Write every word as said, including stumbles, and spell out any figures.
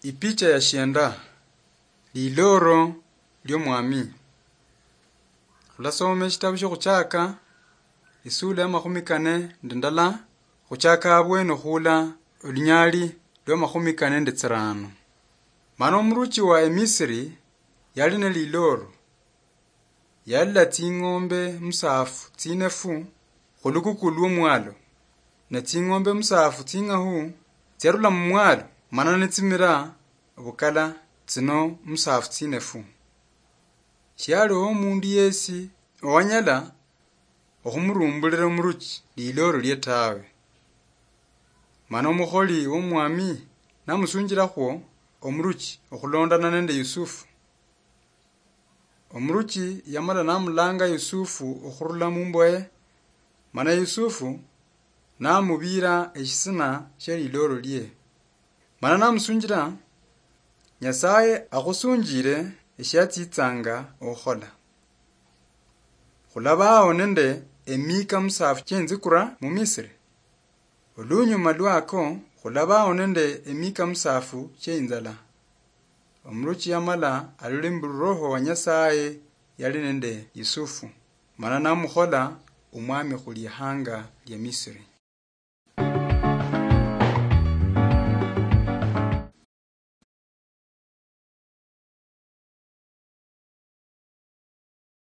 Ipicha ya shienda. Liloro lio mwami. Khulasoma eshitabu shio khuchaka, isula ya makhumi kane nende ndala, khuchaka abwene okhula olunyali lwa makhumi kane nende tsirano. Mana omuruchi wa Emisiri yali ne liloro. Yalila tsing'ombe musaafu tsinefu khulukuku lwo mwalo, ne tsing'ombe musaafu tsing'ahu tsiarula mumwalo, mana nitsimira obukala tsino musaafu tsinefu. Shialiho omundu yesi owanyala okhumurumbulira omuruchi liloro lie tawe. Mana omukholi womwami namusunjilakhwo omuruchi okhulondana nende Yusufu. Omuruchi yamala namulanga Yusufu okhurula mumboye, mana Yusufu namubiira eshisina shia liloro lie. Mana namusunjila, Nyasaye akhusunjile eshiatsitsanga okhukhola. Khulabaho nende emika musaafu chienzikura muMisiri. Olunyuma lwako khulabaho nende emika musaafu chieinzala. Omuruchi yamala alole mbu Roho wa Nyasaye yali nende Yusufu, mana namukhola omwami khulihanga lia Misiri.